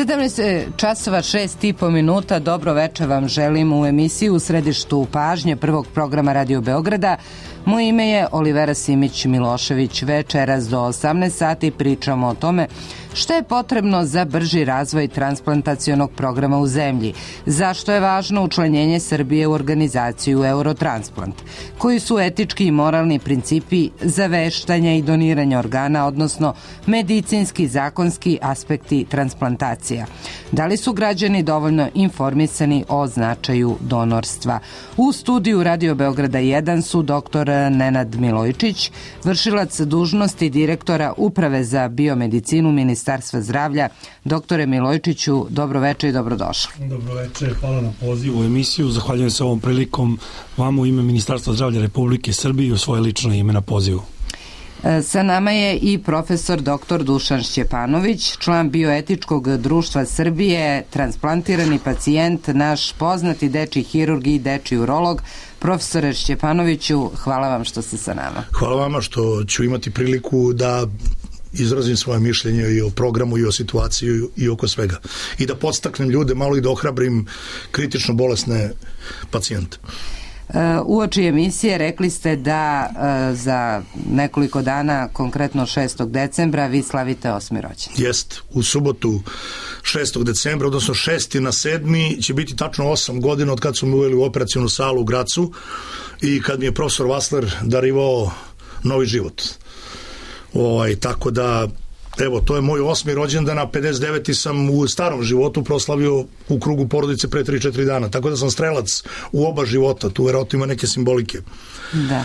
17 časova 6,5 minuta. Dobro večer vam želim u emisiji U središtu pažnje prvog programa Radio Beograda. Moje ime je Olivera Simić-Milošević. Večeras do 18 sati pričamo o tome što je potrebno za brži razvoj transplantacionog programa u zemlji, zašto je važno učlanjenje Srbije u organizaciju Eurotransplant, koji su etički i moralni principi za veštanje i doniranje organa, odnosno medicinski i zakonski aspekti transplantacija. Da li su građani dovoljno informisani o značaju donorstva? U studiju Radio Beograda 1 su dr. Nenad Milojčić, vršilac dužnosti direktora Uprave za biomedicinu Ministarstva zdravlja. Doktore Milojčiću, dobro večer i dobrodošli. Dobro večer, hvala na pozivu u emisiju. Zahvaljujem se ovom prilikom vama u ime Ministarstva zdravlja Republike Srbije i u svoje lično ime na pozivu. Sa nama je i profesor dr. Dušan Šćepanović, član Bioetičkog društva Srbije, transplantirani pacijent, naš poznati dečiji hirurg i dečiji urolog. Profesore Šćepanoviću, hvala vam što ste sa nama. Hvala vama što ću imati priliku da izrazim svoje mišljenje i o programu i o situaciji i oko svega. I da podstaknem ljude malo i da ohrabrim kritično bolesne pacijente. Uoči emisije rekli ste da za nekoliko dana, konkretno 6. decembra, vi slavite 8. rođendan. Jest, u subotu 6. decembra, odnosno 6. na 7. će biti tačno 8 godina od kad su me uveli u operacionu salu u Gracu i kad mi je profesor Vasler darivao novi život. Tako da, evo, to je moj 8. rođendan, a 59. sam u starom životu proslavio u krugu porodice pre 3-4 dana. Tako da sam strelac u oba života. Tu verovatno ima neke simbolike. Da.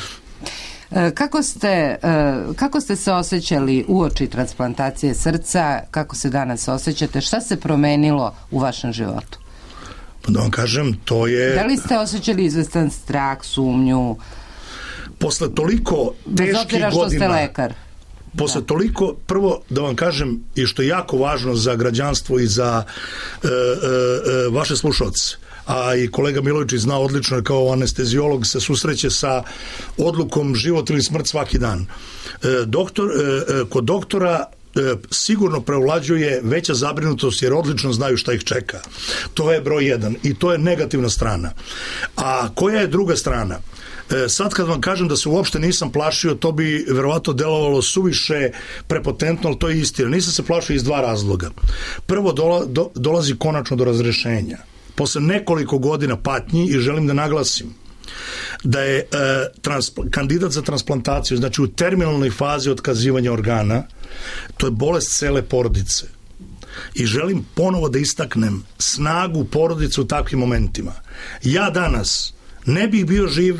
Kako ste se osjećali uoči transplantacije srca? Kako se danas osjećate? Šta se promenilo u vašem životu? Da vam kažem, to je... Da li ste osjećali izvestan strah, sumnju? Posle toliko teških godina... Bez obzira što ste lekar. Posle toliko, prvo da vam kažem, i što je jako važno za građanstvo i za vaše slušalce, a i kolega Milojčić zna odlično, kao anesteziolog se susreće sa odlukom život ili smrt svaki dan. Kod doktora sigurno preovlađuje veća zabrinutost jer odlično znaju šta ih čeka. To je broj 1 i to je negativna strana. A koja je druga strana? Sad kad vam kažem da se uopšte nisam plašio, to bi verovatno delovalo suviše prepotentno, ali to je istina. Nisam se plašio iz dva razloga. Prvo, dolazi konačno do razrešenja. Posle nekoliko godina patnji, i želim da naglasim da je kandidat za transplantaciju, znači u terminalnoj fazi otkazivanja organa, to je bolest cele porodice. I želim ponovo da istaknem snagu porodice u takvim momentima. Ja danas ne bih bio živ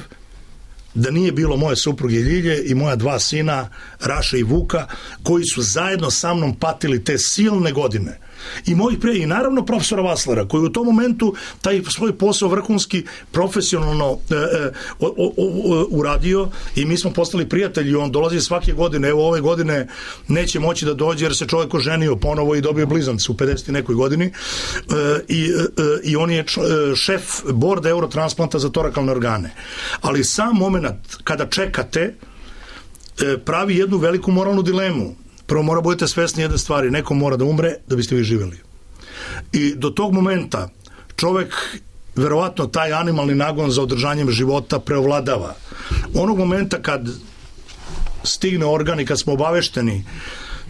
da nije bilo moje supruge Ljilje i moja 2 sina, Raša i Vuka, koji su zajedno sa mnom patili te silne godine. I mojih i naravno profesora Vaslera, koji u tom momentu taj svoj posao vrhunski profesionalno uradio i mi smo postali prijatelji. On dolazi svake godine, evo ove godine neće moći da dođe jer se čovjek oženio ponovo i dobio blizance u 50 nekoj godini i on je šef borda Eurotransplanta za torakalne organe. Ali sam moment kada čekate pravi jednu veliku moralnu dilemu. Prvo mora budete svesni jedne stvari, neko mora da umre da biste vi živjeli. I do tog momenta čovek, verovatno taj animalni nagon za održanjem života preovladava. Onog momenta kad stigne organ i kad smo obavešteni,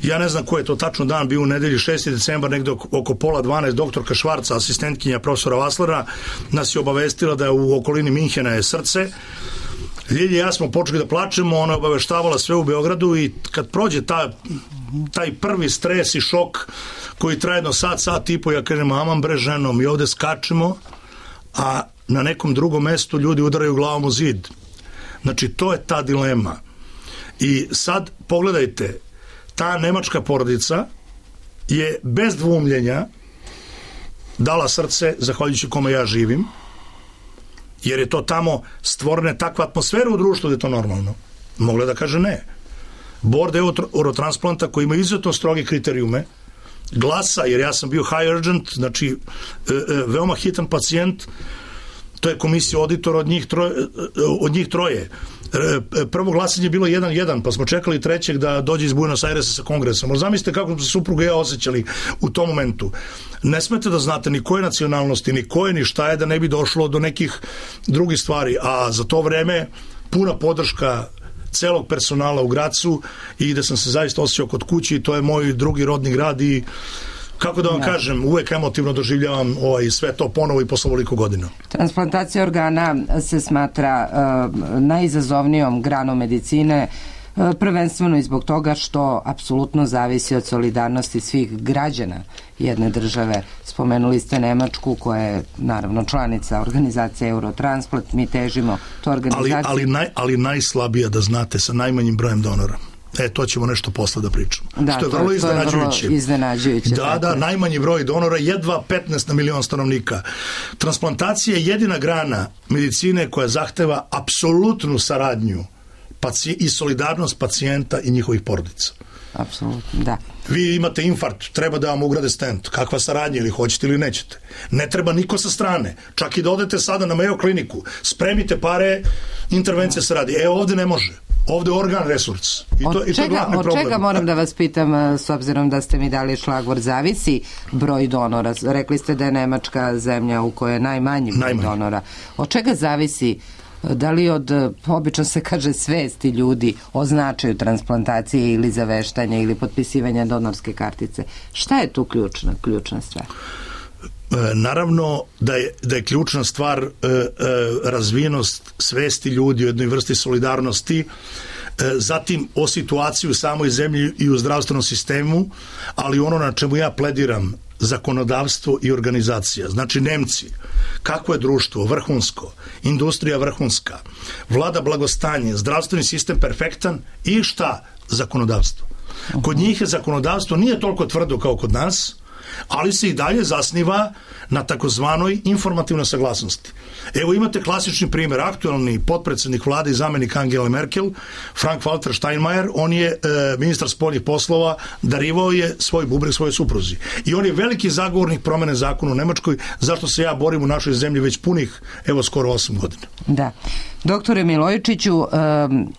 ja ne znam koji je to tačno dan, bio u nedelji 6. decembar, negde oko 11:30, doktorka Švarca, asistentkinja profesora Vaslera, nas je obavestila da je u okolini Minhena je srce. Ljilje i ja smo počeli da plačemo, ona je obaveštavala sve u Beogradu i kad prođe taj prvi stres i šok koji traje jedno sat i po, ja kažem, aman bre ženo, mi ovde skačemo, a na nekom drugom mestu ljudi udaraju glavom u zid. Znači, to je ta dilema. I sad, pogledajte, ta nemačka porodica je bez dvumljenja dala srce, zahvaljujući kome ja živim, jer je to tamo stvorene takva atmosfera u društvu da je to normalno. Mogla da kaže ne. Board Eurotransplanta koji ima izuzetno stroge kriterijume glasa, jer ja sam bio high urgent, znači veoma hitan pacijent, to je komisija auditora od njih troje. Prvo glasanje je bilo 1-1, pa smo čekali trećeg da dođe iz Buenos Airesa sa kongresom. Ali zamislite kako smo se supruga i ja osjećali u tom momentu. Ne smete da znate ni koje nacionalnosti, ni koje, ni šta je, da ne bi došlo do nekih drugih stvari. A za to vreme puna podrška celog personala u Gracu i gde sam se zaista osjećao kod kući, to je moj drugi rodni grad i kako da vam kažem, uvek emotivno doživljavam sve to ponovo i posle ovoliko godina. Transplantacija organa se smatra najizazovnijom granom medicine, prvenstveno i zbog toga što apsolutno zavisi od solidarnosti svih građana jedne države. Spomenuli ste Nemačku koja je naravno članica organizacije Eurotransplant, mi težimo to organizaciju. Ali najslabija, da znate, sa najmanjim brojem donora. To ćemo nešto posle da pričamo. Da, što je vrlo iznenađujuće. Da, najmanji broj donora, jedva 15 na milion stanovnika. Transplantacija je jedina grana medicine koja zahteva apsolutnu saradnju i solidarnost pacijenta i njihovih porodica. Apsolutno, da. Vi imate infarkt, treba da vam ugrade stent. Kakva saradnja, ili hoćete ili nećete. Ne treba niko sa strane. Čak i da odete sada na Mayo kliniku, spremite pare, intervencija se radi. Ovde ne može. Ovde je organ resurs. Od čega moram da vas pitam, s obzirom da ste mi dali šlagvor, zavisi broj donora? Rekli ste da je Nemačka zemlja u kojoj je najmanji broj donora. Od čega zavisi? Da li od, obično se kaže, svesti ljudi o značaju transplantacije ili zaveštanja ili potpisivanja donorske kartice? Šta je tu ključna stvar? Naravno da je ključna stvar razvijenost svesti ljudi u jednoj vrsti solidarnosti, zatim o situaciji u samoj zemlji i u zdravstvenom sistemu, ali ono na čemu ja plediram, zakonodavstvo i organizacija. Znači Nemci, kako je društvo vrhunsko, industrija vrhunska, vlada blagostanje, zdravstveni sistem perfektan i šta? Zakonodavstvo. Kod njih je zakonodavstvo nije toliko tvrdo kao kod nas, ali se i dalje zasniva na takozvanoj informativnoj saglasnosti. Evo imate klasični primjer, aktualni potpredsednik vlade i zamenik Angele Merkel, Frank-Walter Steinmeier, on je ministar spoljnih poslova, darivao je svoj bubreg svojoj supruzi. I on je veliki zagovornik promene zakona u Nemačkoj, zašto se ja borim u našoj zemlji već punih, skoro 8 godina. Da. Doktore Milojičiću,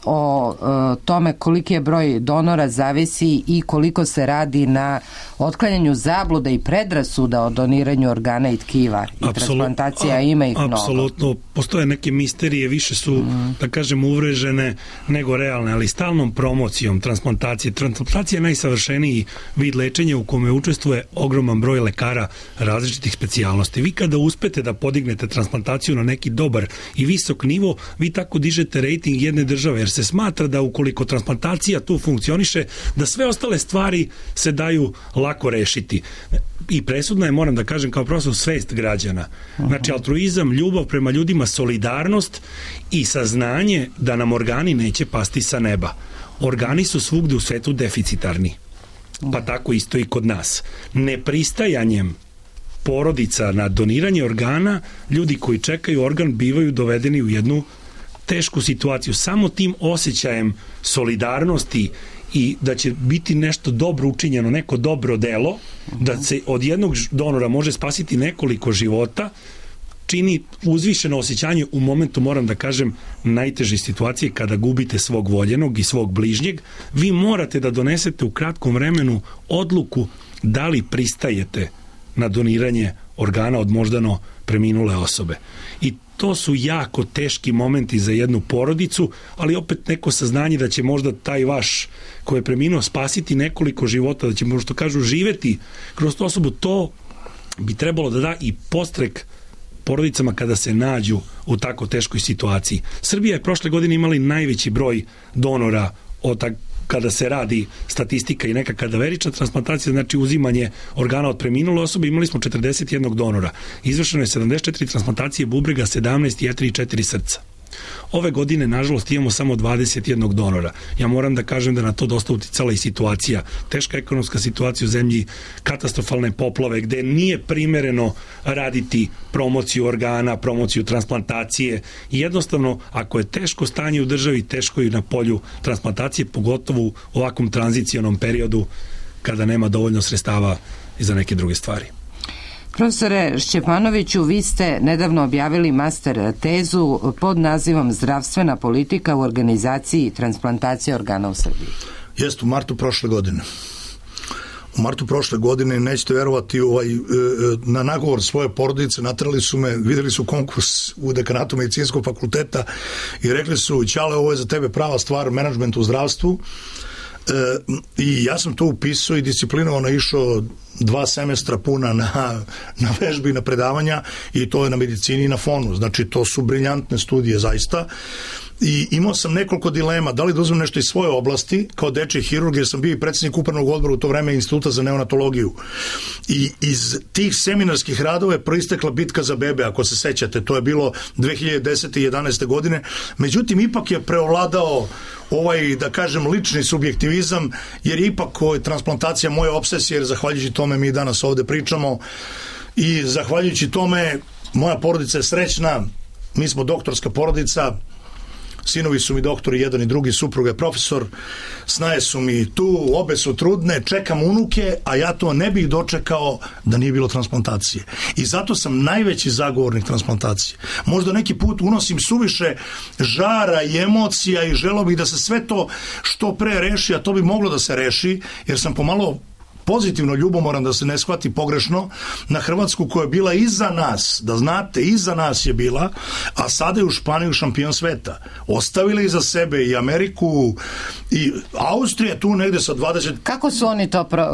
o tome koliki je broj donora zavisi i koliko se radi na otklanjanju zabluda i predrasuda o doniranju organa i tkiva i transplantacija, ima ih mnogo. Apsolutno, postoje neke misterije, više su, da kažem, uvrežene nego realne, ali stalnom promocijom transplantacije. Transplantacija je najsavršeniji vid lečenja u kome učestvuje ogroman broj lekara različitih specijalnosti. Vi kada uspete da podignete transplantaciju na neki dobar i visok nivo, vi tako dižete rejting jedne države, jer se smatra da ukoliko transplantacija tu funkcioniše, da sve ostale stvari se daju lako rešiti. I presudna je, moram da kažem, kao profesor, svest građana. Znači, altruizam, ljubav prema ljudima, solidarnost i saznanje da nam organi neće pasti sa neba. Organi su svugde u svetu deficitarni. Pa tako isto i kod nas. Nepristajanjem porodica na doniranje organa, ljudi koji čekaju organ bivaju dovedeni u jednu tešku situaciju. Samo tim osjećajem solidarnosti i da će biti nešto dobro učinjeno, neko dobro delo, da se od jednog donora može spasiti nekoliko života, čini uzvišeno osjećanje u momentu, moram da kažem, najteže situacije kada gubite svog voljenog i svog bližnjeg. Vi morate da donesete u kratkom vremenu odluku da li pristajete na doniranje organa od moždano preminule osobe. I to su jako teški momenti za jednu porodicu, ali opet neko saznanje da će možda taj vaš koji je preminuo spasiti nekoliko života, da će možda, kažu, živeti kroz tu osobu, to bi trebalo da da i podstrek porodicama kada se nađu u tako teškoj situaciji. Srbija je prošle godine imala najveći broj donora kada se radi statistika i neka kadaverična transplantacija, znači uzimanje organa od preminule osobe, imali smo 41 donora. Izvršeno je 74 transplantacije bubrega, 17 jetre i 4 srca. Ove godine, nažalost, imamo samo 21 donora. Ja moram da kažem da na to dosta uticala i situacija. Teška ekonomska situacija u zemlji, katastrofalne poplave, gde nije primereno raditi promociju organa, promociju transplantacije. I jednostavno, ako je teško stanje u državi, teško i na polju transplantacije, pogotovo u ovakvom tranzicionom periodu kada nema dovoljno sredstava i za neke druge stvari. Profesore Šćepanoviću, vi ste nedavno objavili master tezu pod nazivom Zdravstvena politika u organizaciji transplantacije organa u Srbiji. Jeste, u martu prošle godine. U martu prošle godine, nećete verovati, na nagovor svoje porodice naterali su me, videli su konkurs u dekanatu medicinskog fakulteta i rekli su: Ćale, ovo je za tebe prava stvar, menadžment u zdravstvu. I ja sam to upisao i disciplinovano išao 2 semestra puna na vežbi i na predavanja, i to je na medicini i na fonu. Znači, to su briljantne studije zaista. I imao sam nekoliko dilema, da li da uzmem nešto iz svoje oblasti, kao dečji hirurg, jer sam bio i predsjednik upravnog odbora u to vreme Instituta za neonatologiju. I iz tih seminarskih radova je proistekla bitka za bebe, ako se sećate, to je bilo 2010. i 11. godine. Međutim, ipak je preovladao da kažem, lični subjektivizam, jer je ipak transplantacija moja obsesija, jer zahvaljujući tome mi danas ovde pričamo i zahvaljujući tome moja porodica je srećna, mi smo doktorska porodica, sinovi su mi doktori, jedan i drugi, supruga je profesor, snaje su mi tu, obe su trudne, čekam unuke, a ja to ne bih dočekao da nije bilo transplantacije. I zato sam najveći zagovornik transplantacije. Možda neki put unosim suviše žara i emocija i želeo bih da se sve to što pre reši, a to bi moglo da se reši, jer sam pomalo pozitivno ljubomoran, da se ne shvati pogrešno, na Hrvatsku koja je bila iza nas, da znate, iza nas je bila, a sada je u Španiju šampion sveta. Ostavili iza sebe i Ameriku i Austrija tu negde sa 20...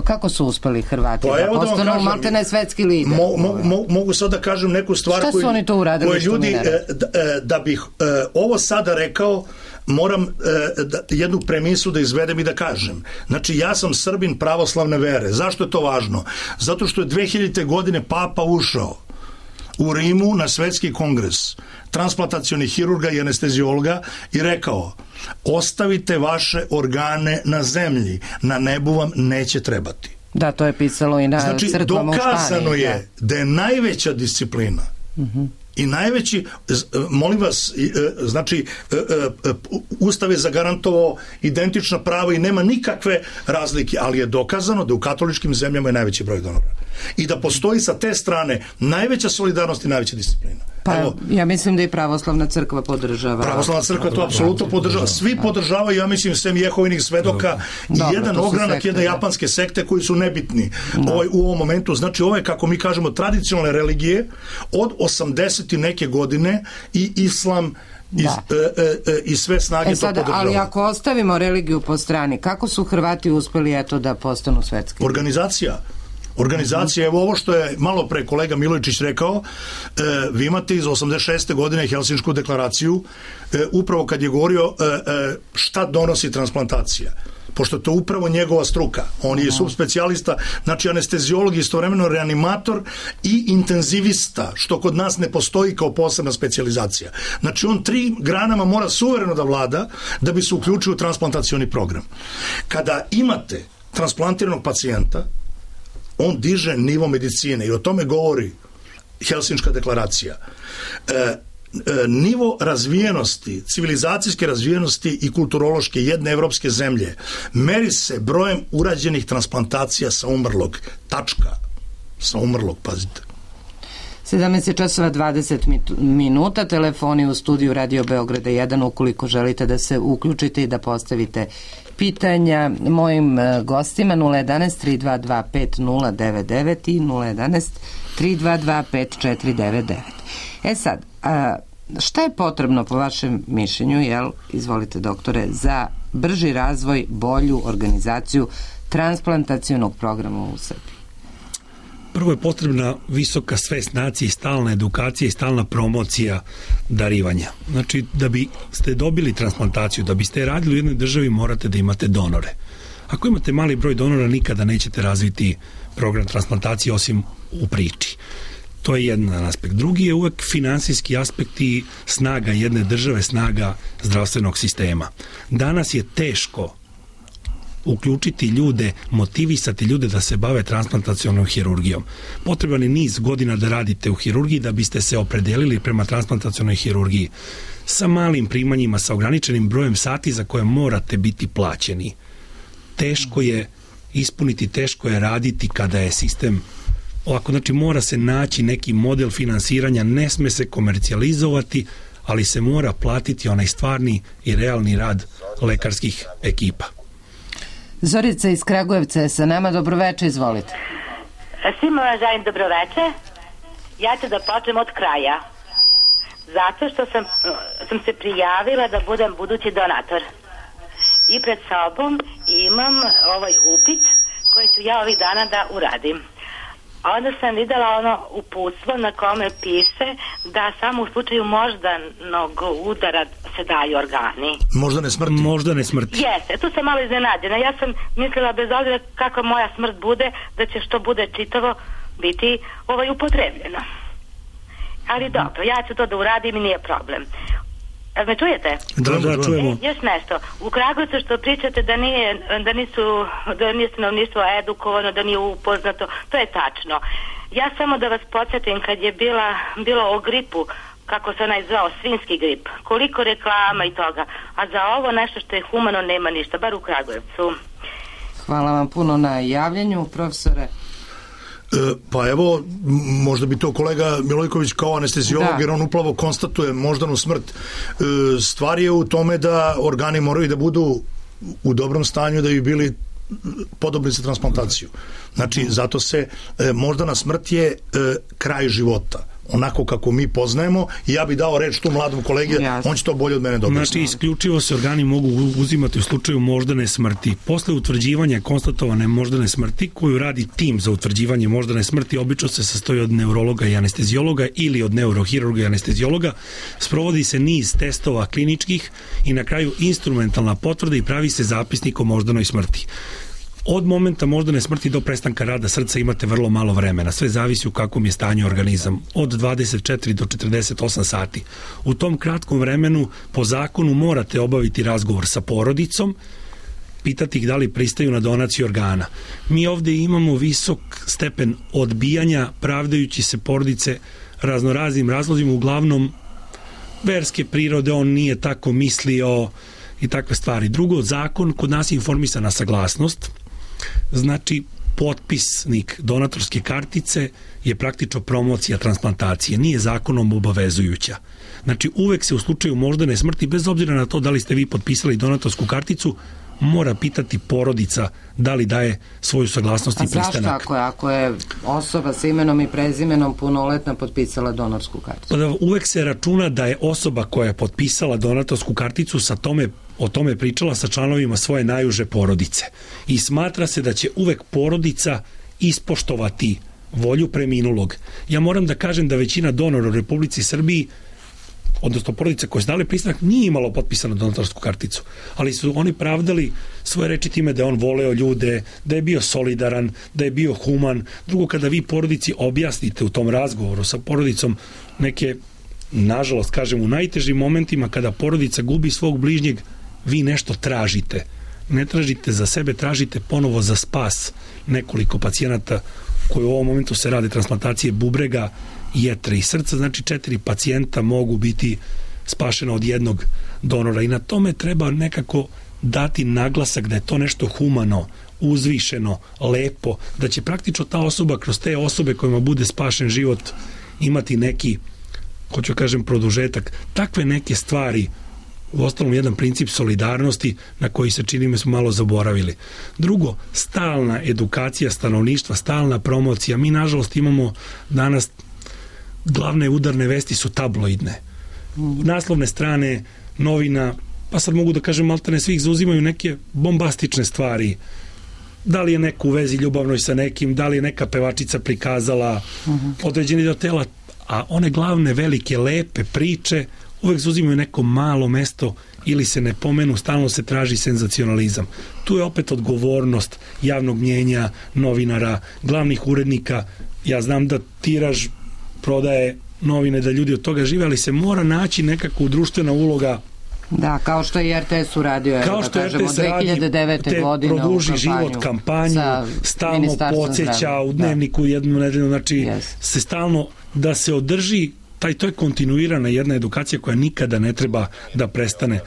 Kako su uspeli Hrvati da postanu maltene svetski lider? Mogu sad da kažem neku stvar šta su oni to uradili što mi ne radi? Da bih ovo sada rekao, moram jednu premisu da izvedem i da kažem. Znači, ja sam Srbin pravoslavne vere. Zašto je to važno? Zato što je 2000. godine Papa ušao u Rimu na svetski kongres transplantacionih hirurga i anesteziologa i rekao: ostavite vaše organe na zemlji, na nebu vam neće trebati. Da, to je pisalo i na crkvama u Španiji. Dokazano je da je najveća disciplina i najveći, molim vas, znači, Ustav je zagarantovao identična prava i nema nikakve razlike, ali je dokazano da u katoličkim zemljama je najveći broj donora. I da postoji sa te strane najveća solidarnost i najveća disciplina. Pa ja mislim da i pravoslavna crkva podržava. Pravoslavna crkva to apsolutno podržava. Svi podržavaju, ja mislim, sem Jehovinih svedoka i jedan ogranak jedne japanske sekte koji su nebitni u ovom momentu. Znači, ovo je, kako mi kažemo, tradicionalne religije od 80 i neke godine i islam i sve snage to podržavaju. Ali ako ostavimo religiju po strani, kako su Hrvati uspeli da postanu svetski? Organizacija, evo ovo što je malo pre kolega Milojičić rekao, vi imate iz 86. godine Helsinšku deklaraciju, upravo kad je govorio šta donosi transplantacija, pošto je to upravo njegova struka. On je subspecijalista, znači anesteziolog, istovremeno reanimator i intenzivista, što kod nas ne postoji kao posebna specijalizacija. Znači, on 3 granama mora suvereno da vlada da bi se uključio u transplantacioni program. Kada imate transplantiranog pacijenta, on diže nivo medicine i o tome govori Helsinška deklaracija. Nivo razvijenosti, civilizacijske razvijenosti i kulturološke jedne evropske zemlje meri se brojem urađenih transplantacija sa umrlog. Tačka. Sa umrlog, pazite. 17:20 minuta, telefoni u studiju Radio Beograda 1, ukoliko želite da se uključite i da postavite pitanja mojim gostima. 011-322-5099 i 011-322-5499. Sad, šta je potrebno po vašem mišljenju, izvolite doktore, za brži razvoj, bolju organizaciju transplantacionog programa u Srbiji? Prvo je potrebna visoka svest nacije i stalna edukacija i stalna promocija darivanja. Znači, da biste dobili transplantaciju, da biste radili u jednoj državi, morate da imate donore. Ako imate mali broj donora, nikada nećete razviti program transplantacije osim u priči. To je jedan aspekt. Drugi je uvek finansijski aspekt i snaga jedne države, snaga zdravstvenog sistema. Danas je teško uključiti ljude, motivisati ljude da se bave transplantacionom hirurgijom. Potreban je niz godina da radite u hirurgiji da biste se opredelili prema transplantacionoj hirurgiji sa malim primanjima, sa ograničenim brojem sati za koje morate biti plaćeni. Teško je ispuniti, teško je raditi kada je sistem ovako, znači mora se naći neki model finansiranja, ne sme se komercijalizovati, ali se mora platiti onaj stvarni i realni rad lekarskih ekipa. Zorica iz Kragujevca je sa nama, dobroveče, izvolite. Svima vam želim dobroveče. Ja ću da počnem od kraja. Zato što sam se prijavila da budem budući donator. I pred sobom imam ovaj upit koji ću ja ovih dana da uradim. Onda sam videla ono uputstvo na kome piše da samo u slučaju moždanog udara se daju organi. Moždane smrti. Jeste, tu sam malo iznenađena. Ja sam mislila bez obzira kako moja smrt bude, da će što bude čitavo biti upotrebljeno. Ali dobro, ja ću to da uradim i nije problem. Me čujete? Da, čujemo. Još nešto. U Kragujevcu što pričate da nije stanovništvo edukovano, da nije upoznato, to je tačno. Ja samo da vas podsjetim kad je bilo o gripu, kako se onaj zvao, svinjski grip, koliko reklama i toga, a za ovo nešto što je humano nema ništa, bar u Kragujevcu. Hvala vam puno na javljanju, profesore. Pa evo, možda bi to kolega Milojković kao anesteziolog, jer on upravo konstatuje moždanu smrt. Stvar je u tome da organi moraju da budu u dobrom stanju da bi bili podobni za transplantaciju. Znači, zato se moždana smrt je kraj života. Onako kako mi poznajemo, i ja bi dao reč tu mladom kolegi, on će to bolje od mene dobiti. Znači, isključivo se organi mogu uzimati u slučaju moždane smrti. Posle utvrđivanja konstatovane moždane smrti, koju radi tim za utvrđivanje moždane smrti, obično se sastoji od neurologa i anesteziologa ili od neurohirurga i anesteziologa, sprovodi se niz testova kliničkih i na kraju instrumentalna potvrda i pravi se zapisnik o moždanoj smrti. Od momenta moždane smrti do prestanka rada srca imate vrlo malo vremena. Sve zavisi u kakvom je stanju organizam. Od 24 do 48 sati. U tom kratkom vremenu po zakonu morate obaviti razgovor sa porodicom, pitati ih da li pristaju na donaciju organa. Mi ovde imamo visok stepen odbijanja, pravdajući se porodice raznoraznim razlozima, uglavnom verske prirode, on nije tako mislio i takve stvari. Drugo, zakon kod nas je informisana saglasnost. Znači, potpisnik donatorske kartice je praktično promocija transplantacije, nije zakonom obavezujuća. Znači, uvek se u slučaju moždane smrti, bez obzira na to da li ste vi potpisali donatorsku karticu, mora pitati porodica da li daje svoju saglasnost i pristanak. A zašto ako je osoba sa imenom i prezimenom punoletna potpisala donorsku karticu? Pa uvek se računa da je osoba koja je potpisala donatorsku karticu o tome pričala sa članovima svoje najuže porodice. I smatra se da će uvek porodica ispoštovati volju preminulog. Ja moram da kažem da većina donora u Republici Srbiji, odnosno porodice koje su dale pristanak, nije imalo potpisanu donatorsku karticu, ali su oni pravdali svoje reči time da je on voleo ljude, da je bio solidaran, da je bio human. Drugo, kada vi porodici objasnite u tom razgovoru sa porodicom neke, nažalost, kažem, u najtežim momentima kada porodica gubi svog bližnjeg, vi nešto tražite. Ne tražite za sebe, tražite ponovo za spas nekoliko pacijenata koji u ovom momentu se rade transplantacije bubrega, jetre i srca, znači 4 pacijenta mogu biti spašena od jednog donora i na tome treba nekako dati naglasak da je to nešto humano, uzvišeno, lepo, da će praktično ta osoba kroz te osobe kojima bude spašen život imati neki, hoću kažem, produžetak. Takve neke stvari, u ostalom jedan princip solidarnosti na koji se čini me smo malo zaboravili. Drugo, stalna edukacija stanovništva, stalna promocija. Mi nažalost imamo danas glavne udarne vesti su tabloidne. Naslovne strane novina, pa sad mogu da kažem maltene svih zauzimaju neke bombastične stvari. Da li je neko u vezi ljubavnoj sa nekim, da li je neka pevačica prikazala određeni deo tela, a one glavne, velike, lepe priče uvek zauzimaju neko malo mesto ili se ne pomenu, stalno se traži senzacionalizam. Tu je opet odgovornost javnog mnjenja, novinara, glavnih urednika. Ja znam da tiraž prodaje novine, da ljudi od toga žive, ali se mora naći nekako društvena uloga. Da, kao što je RTS uradio, kao što je RTS radi, 2009. godine produži život kampanju, stalno podsjeća u dnevniku jednu nedelju, znači se stalno da se održi to je kontinuirana jedna edukacija koja nikada ne treba da prestane.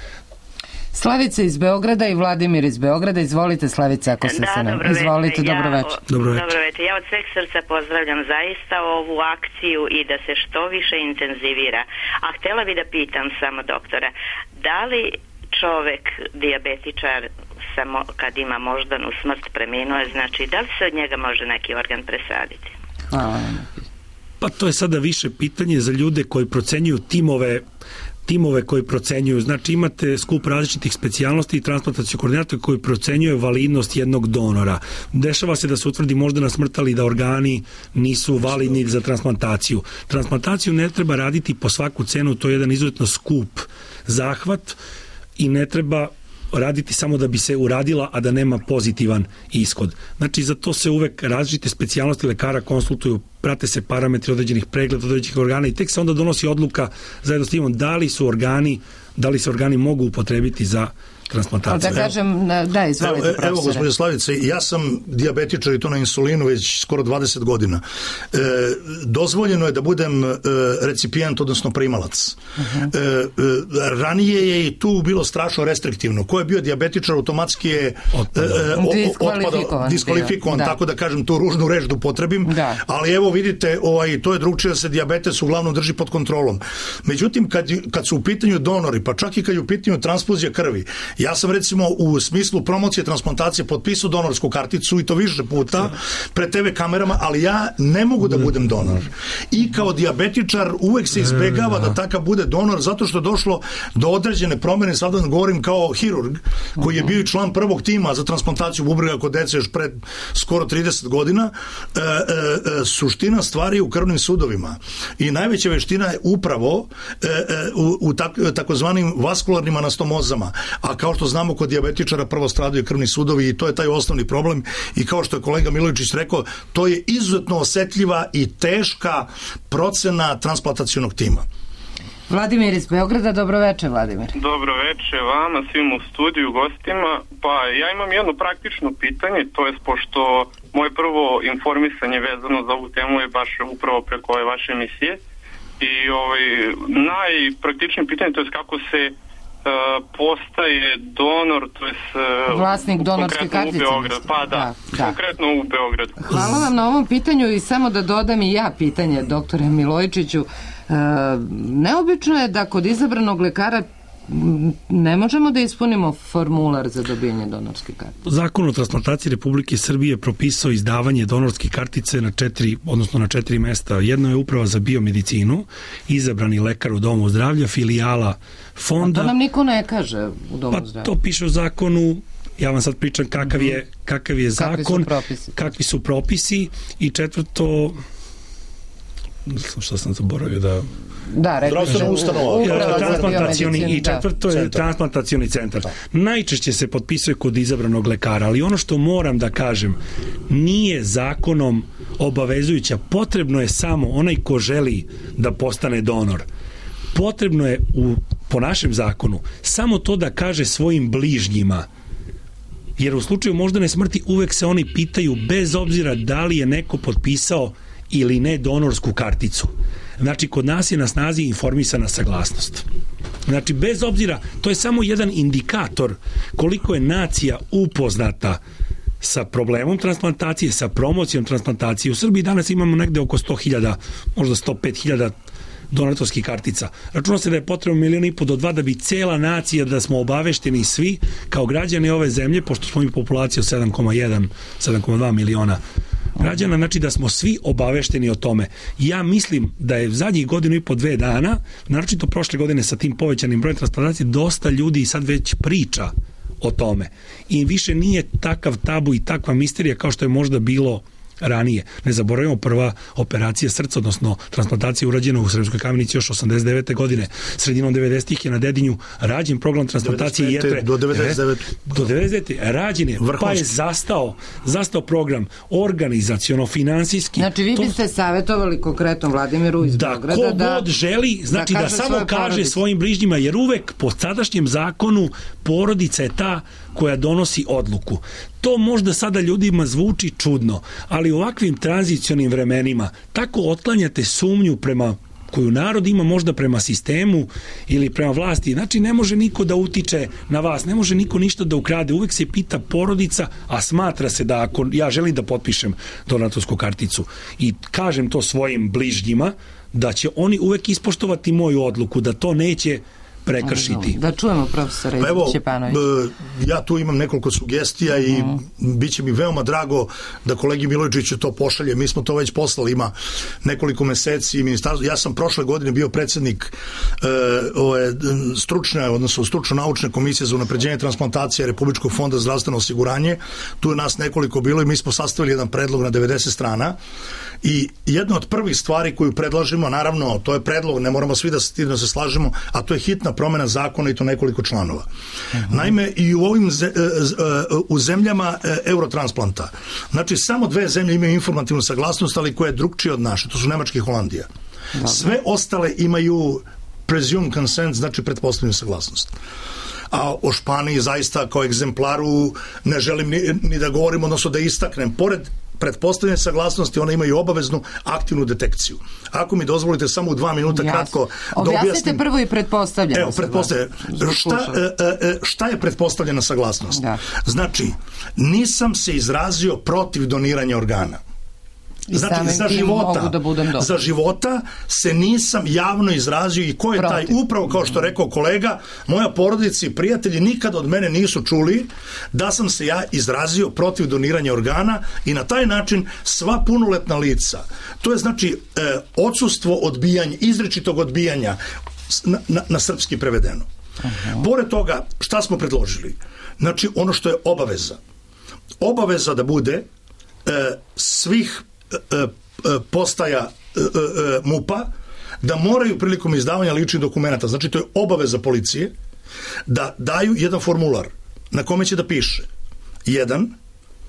Slavica iz Beograda i Vladimir iz Beograda. Izvolite, Slavica, ako se sa nam. Izvolite, dobro večer. Dobro večer. Ja od sveg srca pozdravljam zaista ovu akciju i da se što više intenzivira. A htjela bi da pitam samo doktora, da li čovek, dijabetičar, samo kad ima moždanu smrt, preminuo je, znači da li se od njega može neki organ presaditi? Hvala. Pa to je sada više pitanje za ljude koji procenjuju timove koji procenjuju, znači imate skup različitih specijalnosti i transplantacijskog koordinatora koji procenjuje validnost jednog donora. Dešava se da se utvrdi moždana smrt, ali da organi nisu validni za transplantaciju. Transplantaciju ne treba raditi po svaku cenu, to je jedan izuzetno skup zahvat i ne treba raditi samo da bi se uradila, a da nema pozitivan ishod. Znači, za to se uvek različite specijalnosti lekara konsultuju, prate se parametri određenih pregleda, određenih organa i tek se onda donosi odluka zajedno s timom da li se organi mogu upotrebiti za transplantaciju. Da kažem, da, izvolite, profesore. Evo, gospodine Slavice, ja sam dijabetičar i to na insulinu već skoro 20 godina. Dozvoljeno je da budem recipijent, odnosno primalac. Ranije je i tu bilo strašno restriktivno. Ko je bio dijabetičar, automatski je diskvalifikovan, tako da kažem tu ružnu reč da upotrebim, ali evo vidite, to je drugčije da se dijabetes uglavnom drži pod kontrolom. Međutim, kad su u pitanju donori, pa čak i kad je u pitanju transfuzija krvi, ja sam recimo u smislu promocije transplantacije potpisao donorsku karticu i to više puta pred TV kamerama, ali ja ne mogu da budem donor. I kao dijabetičar uvek se izbegava da takav bude donor zato što je došlo do određene promjene, sada govorim kao hirurg koji je bio i član prvog tima za transplantaciju bubrega kod dece još pred skoro 30 godina. Suština stvari u krvnim sudovima i najveća veština je upravo u takozvanim vaskularnim anastomozama, a kao što znamo kod dijabetičara prvo stradaju krvni sudovi i to je taj osnovni problem i kao što je kolega Milojičić rekao, to je izuzetno osetljiva i teška procena transplantacionog tima. Vladimir iz Beograda, dobro večer, Vladimir. Dobro večer vama, svim u studiju, gostima. Pa ja imam jedno praktično pitanje, to je pošto moje prvo informisanje vezano za ovu temu je baš upravo preko ove vaše emisije i najpraktičnije pitanje, to je kako se postaje donor, to je vlasnik donorske kartice. Pa da, konkretno u Beogradu. Hvala vam na ovom pitanju i samo da dodam i ja pitanje doktore Milojičiću. Neobično je da kod izabranog lekara ne možemo da ispunimo formular za dobijanje donorske kartice. Zakon o transplantaciji Republike Srbije propisao izdavanje donorske kartice na 4 mesta. Jedno je Uprava za biomedicinu, izabrani lekar u domu zdravlja, filijala fonda. A to nam niko ne kaže u domu zdravlja. Pa to piše u zakonu, ja vam sad pričam kakav je zakon, kakvi su propisi i četvrto, što sam zaboravio zdravstvena ustanova. I četvrto je transplantacioni centar. Najčešće se potpisuje kod izabranog lekara, ali ono što moram da kažem, nije zakonom obavezujuća. Potrebno je samo onaj ko želi da postane donor. Potrebno je po našem zakonu samo to da kaže svojim bližnjima, jer u slučaju moždane smrti uvek se oni pitaju bez obzira da li je neko potpisao ili ne donorsku karticu. Znači, kod nas je na snazi informisana saglasnost. Znači, bez obzira, to je samo jedan indikator koliko je nacija upoznata sa problemom transplantacije, sa promocijom transplantacije. U Srbiji danas imamo negde oko 100.000, možda 105.000 donatorskih kartica. Računa se da je potrebno 1,5 miliona do 2 da bi cela nacija, da smo obavešteni svi kao građani ove zemlje, pošto smo mi populacija od 7,1, 7,2 miliona građana, znači da smo svi obavešteni o tome. Ja mislim da je zadnjih 1,5-2 dana, naročito prošle godine sa tim povećanim brojem transplantacije, dosta ljudi sad već priča o tome. I više nije takav tabu i takva misterija kao što je možda bilo ranije. Ne zaboravimo, prva operacija srca, odnosno transplantacija urađena u Sremskoj Kamenici još 89. godine. Sredinom 90-ih je na Dedinju rađen program transplantacije jetre. Do 99. Do 99. rađen je, pa je zastao program organizaciono, finansijski. Znači vi biste savjetovali konkretno Vladimiru iz Beograda da god želi, znači da samo kaže svojim bližnjima, jer uvek po sadašnjem zakonu porodica je ta koja donosi odluku. To možda sada ljudima zvuči čudno, ali u ovakvim tranzicionim vremenima tako otklanjate sumnju prema koju narod ima možda prema sistemu ili prema vlasti. Znači, ne može niko da utiče na vas, ne može niko ništa da ukrade. Uvek se pita porodica, a smatra se da ako ja želim da potpišem donatorsku karticu i kažem to svojim bližnjima, da će oni uvek ispoštovati moju odluku, da to neće prekršiti. Da čujemo profesora Ćepanovića. Ja tu imam nekoliko sugestija i bit će mi veoma drago da kolegi Milojičiću to pošalje. Mi smo to već poslali, ima nekoliko meseci. Ja sam prošle godine bio predsednik stručno-naučne komisije za unapređenje transplantacije Republičkog fonda za zdravstveno osiguranje. Tu je nas nekoliko bilo i mi smo sastavili jedan predlog na 90 strana. I jedna od prvih stvari koju predlažemo, naravno, to je predlog, ne moramo svi da se slažemo, a to je hitna promena zakona i to nekoliko članova. Naime, i u zemljama eurotransplanta, znači samo 2 zemlje imaju informativnu saglasnost, ali koja je drugčija od naše, to su Nemačka i Holandija. Sve ostale imaju presumed consent, znači pretpostavljenu saglasnost. A o Španiji zaista kao egzemplaru ne želim ni da govorim, odnosno da istaknem. Pored pretpostavljene saglasnosti, one imaju obaveznu aktivnu detekciju. Ako mi dozvolite samo u 2 minuta kratko da objasnim. Objasnite prvo i pretpostavljena saglasnost. Šta je pretpostavljena saglasnost? Znači, nisam se izrazio protiv doniranja organa. Znači, za života se nisam javno izrazio i ko je taj, upravo kao što rekao kolega, moja porodica i prijatelji nikad od mene nisu čuli da sam se ja izrazio protiv doniranja organa i na taj način sva punoletna lica, to je znači odsustvo odbijanja, izričitog odbijanja na srpski prevedeno. Pored toga, šta smo predložili? Znači, ono što je obaveza da bude svih postaja MUP-a da moraju prilikom izdavanja ličnih dokumenta, znači to je obaveza policije, da daju jedan formular na kome će da piše 1.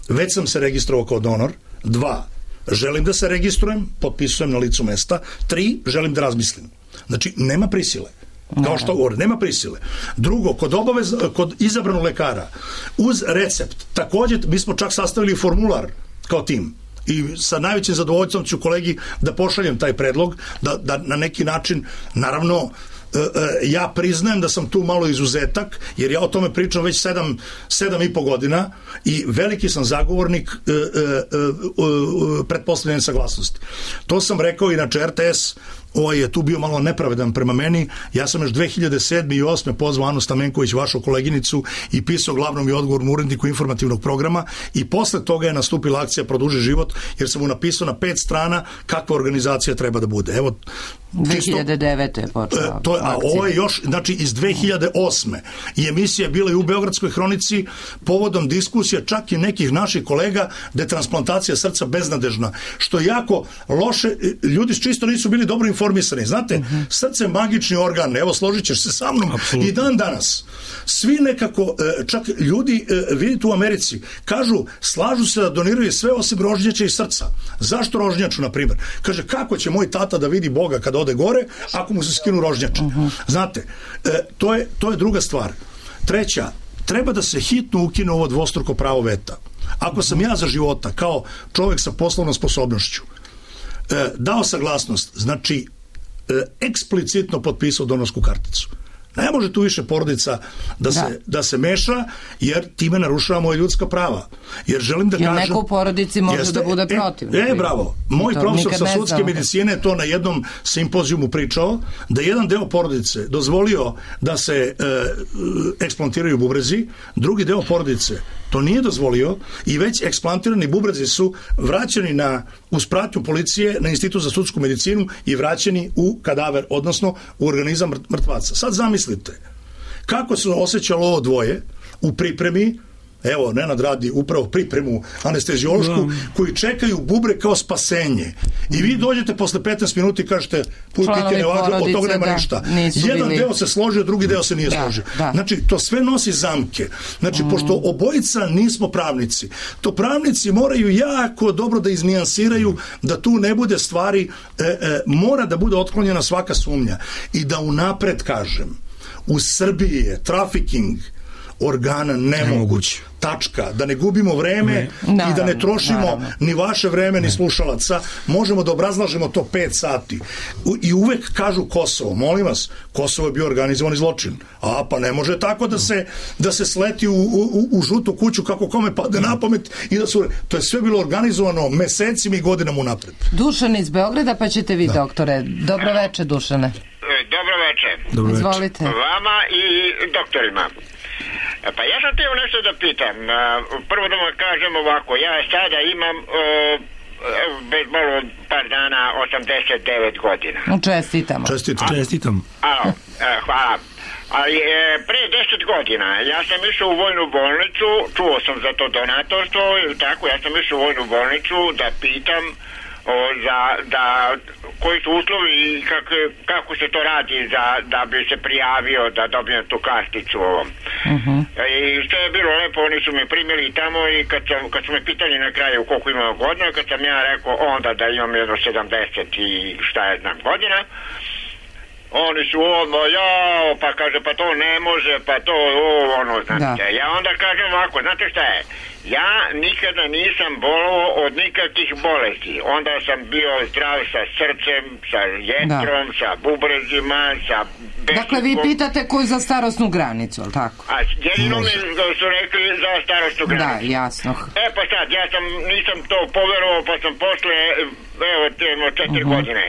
Već sam se registrovao kao donor, 2. Želim da se registrujem, potpisujem na licu mesta, 3. Želim da razmislim. Znači, nema prisile. Kao što govore, nema prisile. Drugo, kod izabranog lekara, uz recept, također mi smo čak sastavili formular kao tim. I sa najvećim zadovoljstvom ću kolegi da pošaljem taj predlog, da na neki način, naravno, ja priznajem da sam tu malo izuzetak, jer ja o tome pričam već 7,5 godina i veliki sam zagovornik pretpostavljene saglasnosti. To sam rekao, inače RTS je tu bio malo nepravedan prema meni. Ja sam još 2007. i 2008. pozvao Anu Stamenković, vašu koleginicu, i pisao glavnom i odgovornom uredniku informativnog programa i posle toga je nastupila akcija Produži život, jer sam mu napisao na 5 strana kakva organizacija treba da bude. Evo, 2009. je počela. A ovo je još, znači iz 2008. I emisija je bila i u Beogradskoj hronici povodom diskusija čak i nekih naših kolega da je transplantacija srca beznadežna, što je jako loše. Ljudi čisto nisu bili dobro informisani. Znate, srce je magični organ, evo složit ćeš se sa mnom. Absolutno. I dan danas svi nekako, čak ljudi vidite u Americi, kažu, slažu se da doniraju sve osim rožnjača i srca. Zašto rožnjaču, na primjer? Kaže, kako će moj tata da vidi Boga kada ode gore ako mu se skinu rožnjače? Znate, to je druga stvar. Treća, treba da se hitno ukine ovo dvostruko pravo veta. Ako sam ja za života kao čovjek sa poslovnom sposobnošću dao saglasnost, znači eksplicitno potpisao donorsku karticu. Ne može tu više porodica da se meša, jer time narušava moje ljudska prava. Jer želim da kažem... neko u porodici može da bude protiv. Bravo. Moj profesor sa sudske medicine to na jednom simpozijumu pričao, da jedan deo porodice dozvolio da se eksplantiraju bubrezi, drugi deo porodice to nije dozvolio i već eksplantirani bubrezi su vraćeni uz pratnju policije na Institut za sudsku medicinu i vraćeni u kadaver, odnosno u organizam mrtvaca. Sad zamislite kako se osjećalo ovo dvoje u pripremi. Evo, Nenad radi upravo pripremu anesteziološku, koji čekaju bubre kao spasenje. I vi dođete posle 15 minuta i kažete, putike ne važu, od toga nema ništa. Jedan deo se složio, drugi deo se nije složio. Znači, to sve nosi zamke. Znači, pošto obojica nismo pravnici, to pravnici moraju jako dobro da iznijansiraju, da tu ne bude stvari, mora da bude otklonjena svaka sumnja. I da unapred kažem, u Srbiji je trafiking organa nemoguć. Tačka. Da ne gubimo vreme i da ne trošimo ni vaše vreme, ni slušalaca. Možemo da obrazlažemo to 5 sati. I uvek kažu Kosovo. Molim vas, Kosovo je bio organizovani zločin. A pa ne može tako da se sleti u žutu kuću kako kome padne na pamet i da su... To je sve bilo organizovano mesecima i godinama unapred. Dušan iz Beograda, pa ćete vi, doktore. Dobro veče, Dušane. Dobro veče. Izvolite. Vama i doktorima. Pa ja sam teo nešto da pitam. Prvo da vam kažem ovako, ja sada imam bez malo par dana 89 godina. Čestitam. Hvala. Ali pre 10 godina ja sam išao u vojnu bolnicu, čuo sam za to donatorstvo ili tako, ja sam išao u vojnu bolnicu da pitam da koji su uslovi i kako se to radi da bi se prijavio da dobijem tu karticu ovom. I što je bilo lepo, oni su me primili tamo i kad su me pitali na kraju koliko imam godina, kad sam ja rekao onda da imam jedno 70 i šta je znam godina, oni su odmah, pa kaže, pa to ne može, pa to, znate. Ja onda kažem ovako, znate šta je? Ja nikada nisam bolovao od nikakvih bolesti. Onda sam bio zdrav sa srcem, sa jetrom, sa bubrezima, sa... Dakle, vi pitate koju za starosnu granicu, ali tako? A jedino mi su rekli za starosnu granicu. Da, jasno. Pa sad, ja nisam to poverovao, pa sam posle, 4 godine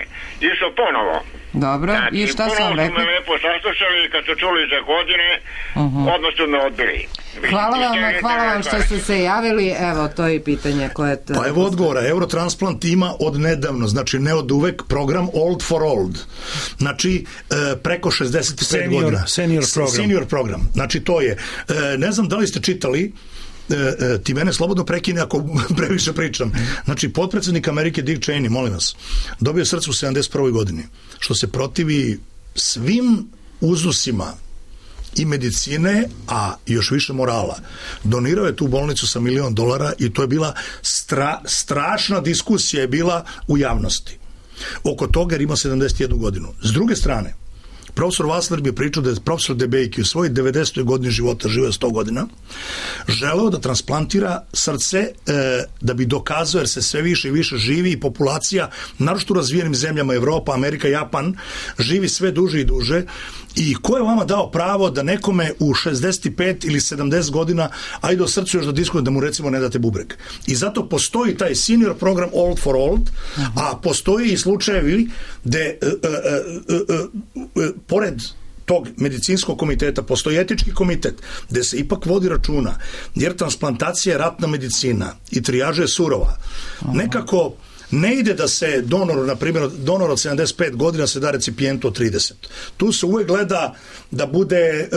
išao ponovo. Dobro, znači, i šta sam rekao? Ponovo su me lepo saslušali, kad su čuli za godine, odmah su me odbili. Hvala vam što ste se javili, evo, to je pitanje koje... Pa evo odgovora, Eurotransplant ima od nedavno, znači ne od uvek, program Old for Old, znači preko 65 godina. Senior program, znači to je, ne znam da li ste čitali, ti mene slobodno prekine ako previše pričam. Znači, potpredsjednik Amerike Dick Cheney, molim vas, dobio srce u 71. godini, što se protivi svim uzusima i medicine, a još više morala. Donirao je tu bolnicu sa $1 milion i to je bila strašna diskusija je bila u javnosti oko toga jer ima 71 godinu. S druge strane, profesor Vassler bi pričao da je profesor Debejki u svojoj 90. godini života, živeo 100 godina, želeo da transplantira srce da bi dokazao, jer se sve više i više živi i populacija, naročito u razvijenim zemljama Evropa, Amerika, Japan, živi sve duže i duže. I ko je vama dao pravo da nekome u 65 ili 70 godina, ajde o srcu još da diskutuje, da mu recimo ne date bubreg. I zato postoji taj senior program Old for Old, a postoji i slučajevi gde pored tog medicinskog komiteta postoji etički komitet gde se ipak vodi računa, jer transplantacija je ratna medicina i trijaža je surova. Nekako ne ide da se donoru, na primjer, donor od 75 godina se da recipijentu od 30. Tu se uvek gleda da bude